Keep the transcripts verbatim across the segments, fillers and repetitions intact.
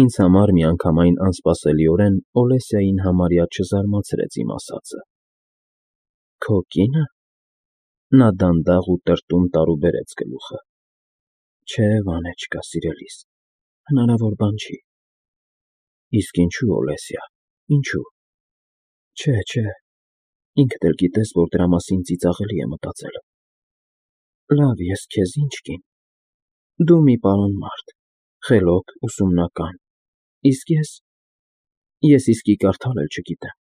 Ինձ համար միանգամայն անսպասելիորեն Օլեսիային համարյա չզարմացրեց իմ ասածը։ ֊ Քո կի՞նը։ Նա դանդաղ ու տրտում տարուբերեց գլուխը։ ֊ Չէ, Վանեչկա, սիրելիս, հնարավոր բան չի։ ֊ Իսկ ինչո՞ւ, Օլեսիա, ինչո՞ւ։ Չէ, չէ, ինքդ էլ գիտես, որ դրա մասին ծիծաղելի է մտածել։ Լավ, ես քեզ ինչ կին։ Դու մի պարոն մարդ, խելոք, ուսումնական, իսկ ես… Ես իսկի կարդալ էլ չգիտեմ,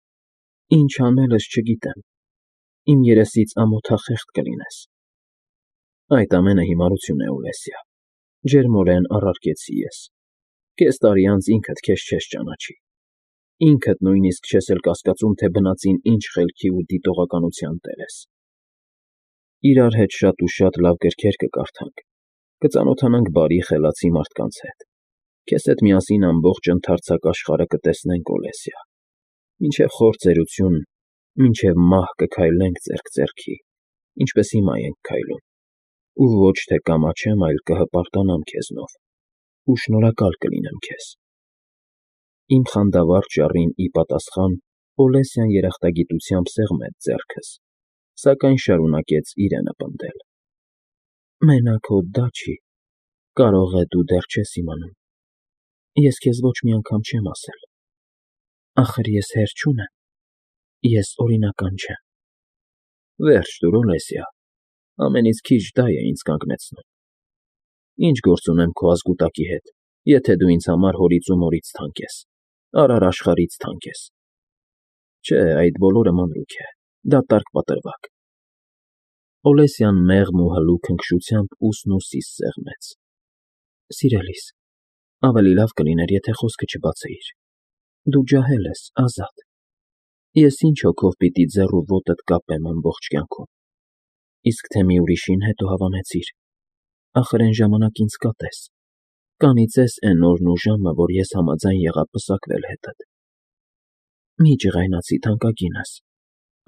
ինչ անելս չգիտեմ, իմ երեսից ամոթախեղդ կլինես։ Այդ ամենը հիմարություն է, Օլեսիա, ջերմորեն առարկեցի ես։ Կես տարի անց ինքդ քեզ չես ճանաչի, ինքդ նույնիսկ չես էլ կասկածում, թե բնածին ինչ խելքի ու դիտողականության տեր ես։ Իրար հետ շատ ու շատ լավ գրքեր կկարդանք, կծանոթանանք բարի, խելացի մարդկանց հետ, քեզ հետ միասին ամբողջ ընդարձակ աշխարհը կտեսնենք, Օլեսիա, մինչև խոր ծերություն, մինչև մահ կքայլենք ձեռք ձեռքի, ինչպես հիմա ենք քայլում, ու ոչ թե կամաչեմ, այլ կհպարտանամ քեզնով ու շնորհակալ կլինեմ քեզ։ Իմ խանդավառ ճառին ի պատասխան Օլեսիան երախտագիտությամբ սեղմեց ձեռքս, սակայն շարունակեց իրենը պնդել։ Մենակ հո դա չի, կարող է դու դեռ չես իմանում։ Ես քեզ ոչ մի անգամ չեմ ասել։ Ախր ես հեր չունեմ, ես օրինական չեմ։ Վերջ տուր, Օլեսիա, ամենից քիչ դա է ինձ կանգնեցնում։ Ինչ գործ ունեմ քո ազգուտակի հետ, եթե դու ինձ համար հորից ու մորից թանկ ես, արար աշխարհից թանկ ես։ Չէ, այդ բոլորը մանրուք է, դատարկ պատրվակ։ Օլեսիան մեղմ ու հլու քնքշությամբ ուսն ուսիս սեղմեց։ Սիրելիս, ավելի լավ կլիներ, եթե խոսքը չբացեիր։ Դու ջահել ես, Ազատ։ Ես ինչ հոգով պիտի ձեռ ու ոտդ կապեմ ամբողջ կյանքում։ Իսկ թե մի ուրիշին հետո հավանեցիր։ Ախր էն ժամանակ ինձ կատես, կանիծես էն օրն ու ժամը, որ ես համաձայն եղա պսակվել հետդ։ Մի ջղայնացի, թանկագինս,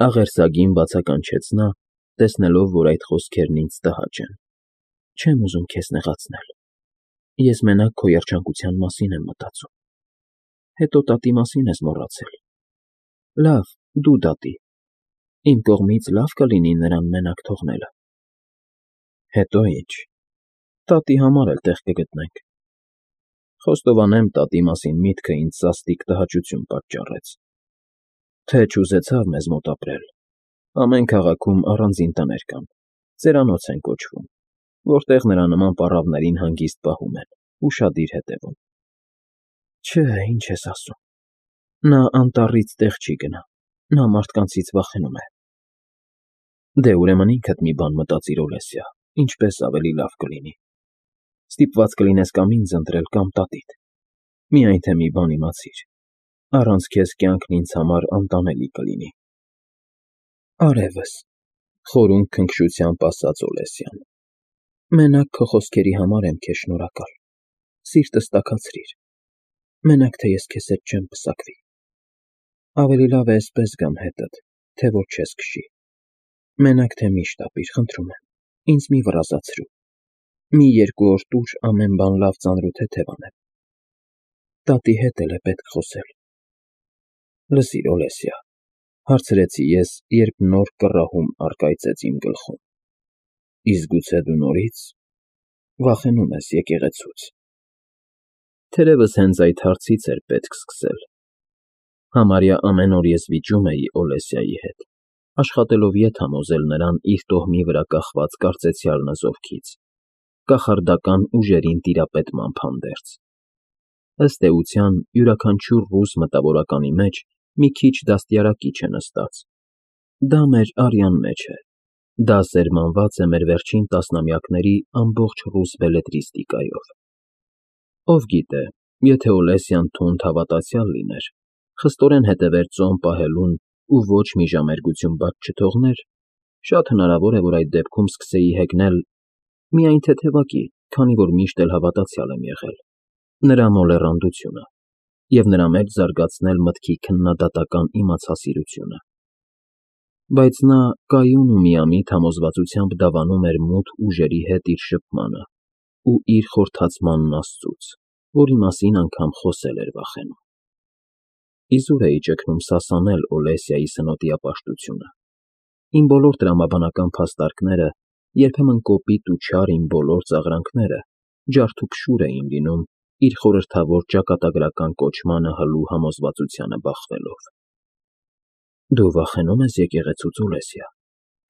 աղերսագին բացականչեց նա, տեսնելով, որ այդ խոսքերն ինձ տհաճ են։ Չեմ ուզում քեզ նեղացնել։ Ես մենակ քո երջանկության մասին եմ մտածում։ Հետո տատի մասին ես մոռացել։ Լավ, դու դատի։ Իմ կողմից լավ կլինի նրան մենակ թողնելը։ Հետո ինչ։ Տատի համար էլ տեղ կգտնենք։ Խոստովանեմ, տատի մասին միտքը ինձ սաստիկ տհաճություն պատճառեց։ Թե չուզեցավ մեզ մոտ ապրել։ Ամեն քաղաքում առանձին տներ կան, ծերանոց են կոչվում, որտեղ նրա նման պառավներին հանգիստ պահում են, ուշադիր հետևում։ Չէ, ինչ ես ասում։ Նա անտառից տեղ չի գնա, նա մարդկանցից վախենում է։ Դե ուրեմն ինքդ մի բան մտածիր, Օլեսիա, ինչպես ավելի լավ կլինի։ Ստիպված կլինես կամ ինձ ընտրել, կամ տատիդ։ Միայն թե մի բան իմացիր, առանց քեզ կյանքն ինձ համար անտանելի կլինի։ Արևս, խորհուրդ քնքշությամբ ասաց Օլեսիան։ Մենակ քո խոսքերի համար եմ քեզ շնորհակալ։ Սիրտս տաքացրիր։ Մենակ թե ես քեզ հետ չեմ պսակվի։ Ավելի լավ է էսպես գամ հետդ, թե որ չես քշի։ Մենակ թե մի շտապիր, խնդրում եմ, ինձ մի վռազացրու։ Մի երկու օր տուր ամեն բան լավ ծանրութեթև անեմ։ Տատի հետ էլ է պետք խոսել։ Լսիր, Օլեսիա, հարցրեցի ես, երբ նոր կռահում առկայծեց իմ գլխում։ Իսկ գուցե դու նորից վախենում ես եկեղեցուց։ Թերևս հենց այդ հարցից էր պետք սկսել։ Համարյա ամեն օր ես վիճում էի Օլեսիայի հետ, աշխատելով ետ համոզել նրան իր տոհմի վրա կախված կարծեցյալ նզովքից, կախարդական ուժերին տիրապետմամբ հանդերձ։ Ըստ էության, յուրաքանչյուր ռուս մտավորականի մեջ մի քիչ դաստիարակիչ է նստած։ Դա մեր արյան մեջ է։ Դա սերմանված է մեր վերջին տասնամյակների ամբողջ ռուս բելետրիստիկայով։ Ով գիտե, եթե Օլեսիան թունդ հավատացյալ լիներ, խստորեն հետևեր ծոմ պահելուն ու ոչ մի ժամերգություն բաց չթողներ, շատ հնարավոր է, որ այդ դեպքում սկսեի հեգնել միայն թեթևակի, քանի որ միշտ էլ հավատացյալ եմ եղել, նրա մոլեռանդությունը և նրա մեջ զարգացնել մտքի քննադատական իմացասիրությունը։ Բայց նա կայուն ու միամիտ համոզվածությամբ դավանում էր մութ ուժերի հետ իր շփմանը ու իր խորթացմանն Աստծուց։ որի մասին անգամ խոսել էր վախենում։ Իզուր էի ճգնում սասանել Օլեսիայի սնոտիապաշտությունը։ Իմ բոլոր տրամաբանական փաստարկները, երբեմն կոպիտ ու չար իմ բոլոր ծաղրանքները ջարդուփշուր էին լինում իր խորհրդավոր ճակատագրական կոչմանը հլու համոզվածությանը բախվելով։ Դու վախենո՞ւմ ես եկեղեցուց, Օլեսիա,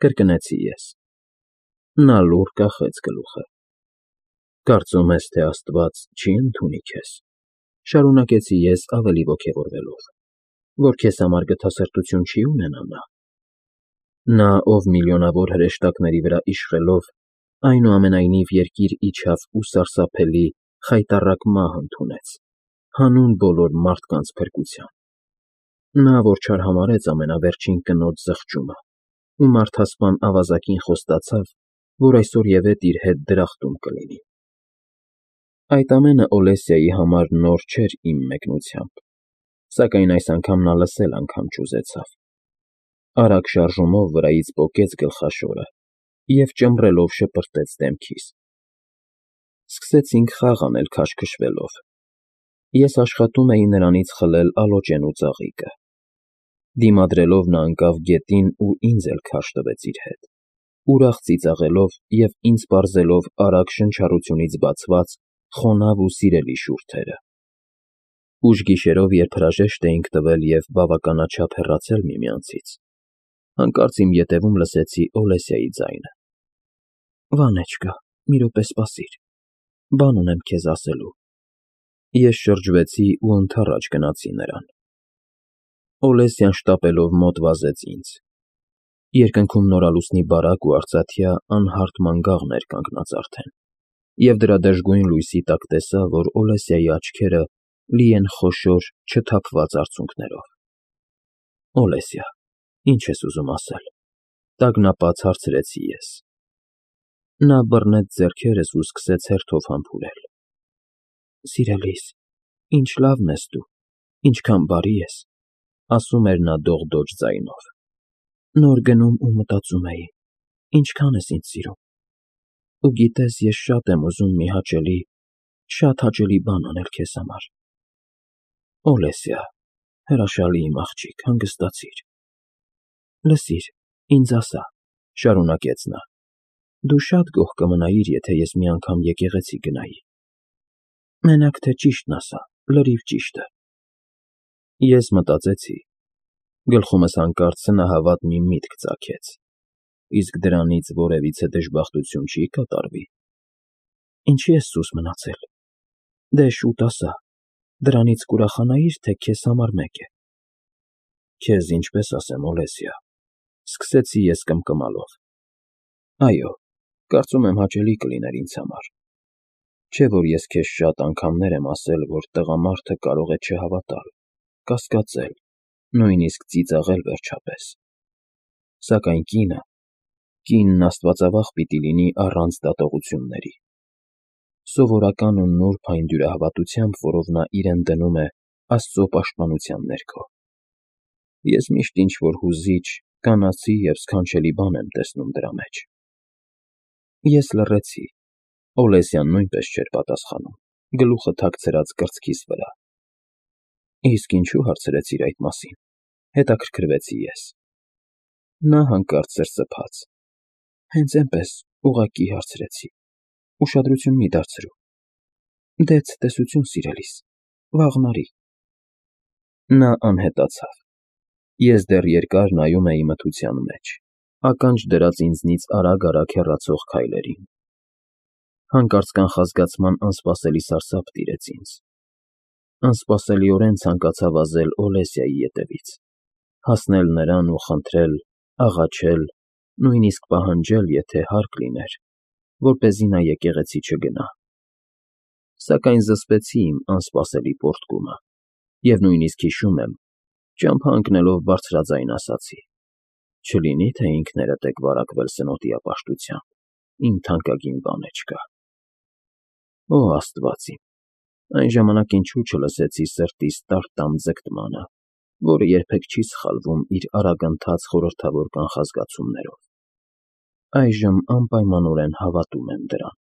կրկնեցի ես։ Նա լուռ կախեց գլուխը։ Կարծում ես, թե Աստված չի ընդունի քեզ, շարունակեցի ես ավելի ոգևորվելով, որ քեզ համար գթասրտություն չի ունենա նա։ Նա, ով միլիոնավոր հրեշտակների վրա իշխելով, այնուամենայնիվ երկիր իջավ ու սարսափելի, խայտառակ մահ ընդունեց, հանուն բոլոր մարդկանց փրկության։ Նա, որ չարհամարհեց ամենավերջին կնոջ զղջումը ու մարդասպան ավազակին խոստացավ, որ այսօրևեթ իր հետ դրախտում կլինի։ Այդ ամենը Օլեսիայի համար նոր չէր իմ մեկնությամբ, սակայն այս անգամ նա լսել անգամ չուզեցավ։ Արագ շարժումով վրայից պոկեց գլխաշորը և ճմռելով շպրտեց դեմքիս։ Սկսեցինք խաղ անել քաշքշվելով։ Ես աշխատում էի նրանից խլել ալոճեն ու ծաղիկը։ Դիմադրելով նա ընկավ գետին ու ինձ էլ քարշ տվեց իր հետ, ուրախ ծիծաղելով և ինձ պարզելով արագ շնչառությունից բացված խոնավ ու սիրելի շուրթերը։ Ուշ գիշերով, երբ հրաժեշտ էինք տվել և բավականաչափ հեռացել միմյանցից, հանկարծ իմ ետևում լսեցի Օլեսիայի ձայնը. «Վանեչկա, մի րոպե սպասիր, բան ունեմ քեզ ասելու»։ Ես շրջվեցի ու ընդառաջ գնացի նրան։ Օլեսիան շտապելով մոտ վազեց ինձ։ Երկնքում նորալուսնի բարակ ու արծաթյա անհարթ մանգաղն էր կանգնած արդեն, և դրա դժգույն լույսի տակ տեսա, որ Օլեսիայի աչքերը լի են խոշոր, չթափված արցունքներով։ «Օլեսիա, ի՞նչ ես ուզում ասել», տագնապած հարցրեցի ես։ Նա բռնեց ձեռքերս ու սկսեց հերթով համբուրել։ «Սիրելիս, ինչ լավն ես դու, ինչքան բարի ես», ասում էր նա դողդոջ ձայնով։ «Նոր գնում ու մտածում էի, ինչքան ես ինձ սիրում։ Ու գիտես, ես շատ եմ ուզում մի հաճելի, շատ հաճելի բան անել քեզ համար»։ «Օլեսիա, հրաշալի իմ աղջիկ, հանգստացիր»։ «Լսիր, ինձ ասա», շարունակեց նա, «դու շատ գոհ կմնայիր, եթե ես մի անգամ եկեղեցի գնայի։ Մենակ թե ճիշտն ասա, լրիվ ճիշտը»։ Ես մտածեցի։ Գլխումս հանկարծ սնահավատ մի միտք ծագեց։ Իսկ դրանից որևիցե դժբախտություն չի՞ կատարվի։ Ինչի՞ ես սուս մնացել։ Դե շուտ ասա, դրանից կուրախանայի՞ր, թե քեզ համար մեկ է։ Քեզ ինչպես ասեմ, Օլեսիա, սկսեցի ես կմկմալով։ Այո, կարծում եմ հաճելի կլիներ ինձ համար։ Չէ՞ որ ես քեզ շատ անգամներ եմ ասել, որ տղամարդը կարող է չհավատալ, կասկածել, նույնիսկ ծիծաղել վերջապես։ Սակայն կինը, կինն աստվածավախ պիտի լինի առանց դատողությունների։ Սովորական ու նուրբ այն դյուրահավատությամբ, որով նա իրեն դնում է Աստծո պաշտպանության ներքո։ Ես միշտ ինչ֊որ հուզիչ, կանացի և սքանչելի բան եմ տեսնում դրա մեջ։ Ես լռեցի։ Օլեսիան նույնպես չէր պատասխանում, գլուխը թաքցրած կրծքիս վրա։ Իսկ ինչու՞ հարցրեցիր այդ մասին, հետաքրքրվեցի ես։ Նա հանկարծ սրսփաց։ Հենց էնպես, ուղղակի հարցրեցի, ուշադրություն մի դարձրու։ Դե ցտեսություն, սիրելիս, վաղն արի։ Նա անհետացավ։ Ես դեռ երկար նայում էի մթության մեջ, ականջ դրած ինձնից արագ֊արագ հեռացող քայլերին։ Հանկարծ կանխազգացման անսպասելի սարսափ տիրեց ինձ։ Անսպասելիորեն ցանկացա վազել Օլեսիայի ետևից, հասնել նրան ու խնդրել, աղաչել, նույնիսկ պահանջել, եթե հարկ լիներ, որպեսզի նա եկեղեցի չգնա։ Սակայն զսպեցի իմ անսպասելի պոռթկումը և նույնիսկ հիշում եմ, ճամփա ընկնելով բարձրաձայն ասացի. «Չլինի՞ թե ինքներդ եք վարակվել սնոտիապաշտությամբ, իմ թանկագին բանեչկա»։ Օ Աստված իմ, այն ժամանակ ինչու չլսեցի սրտիս տար֊տամ ձգտմանը, որը երբեք չի սխալվում իր արագընթաց խորհրդավոր կանխազգացումներով։ Այժմ անպայմանորեն հավատում եմ դրան։